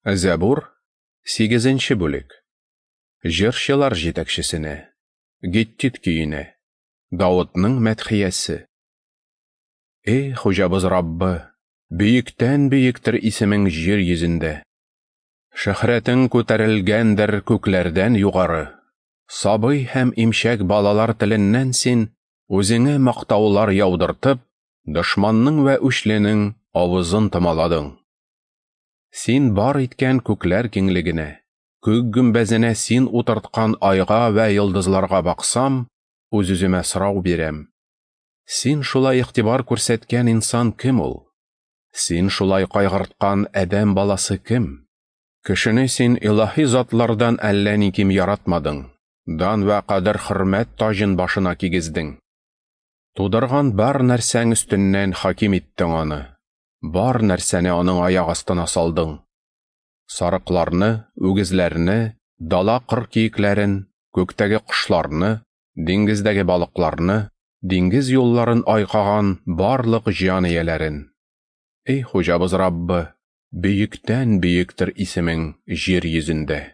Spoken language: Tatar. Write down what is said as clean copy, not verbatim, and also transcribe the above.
Зәбур, сигезенче бүлек. Җырчылар җитәкчесенә, Гиттит көенә, Давытның мәдхиясе. Эй, Хуҗабыз Раббы, бөектән бөектер исемең җир йөзендә. Шөһрәтең күтәрелгәндер күкләрдән югары. Сабый һәм имчәк балалар теленнән син үзеңә мактаулар яудыртып, дошманның вә үчленең авызын томаладың. Син бар иткән күкләр киңлегенә, күк гөмбәзенә син утырткан айга вә йолдызларга баксам, үз-үземә сорау бирәм. Син шулай игътибар күрсәткән инсан кем ул? Син шулай кайгырткан адәм баласы кем? Кешене син илаһи затлардан әллә ни ким яратмадың, дан вә кадер-хөрмәт таҗын башына кигездең. Тудырган бар нәрсәң өстеннән хаким иттең аны, бар нәрсәне аның аяк астына салдың. Сарыкларны, үгезләрне, дала кыр киекләрен, күктәге кошларны, диңгездәге балыкларны, диңгез юлларын айкаган барлык җан ияләрен. Эй, Хуҗабыз Раббы, бөектән бөектер исемең җир йөзендә.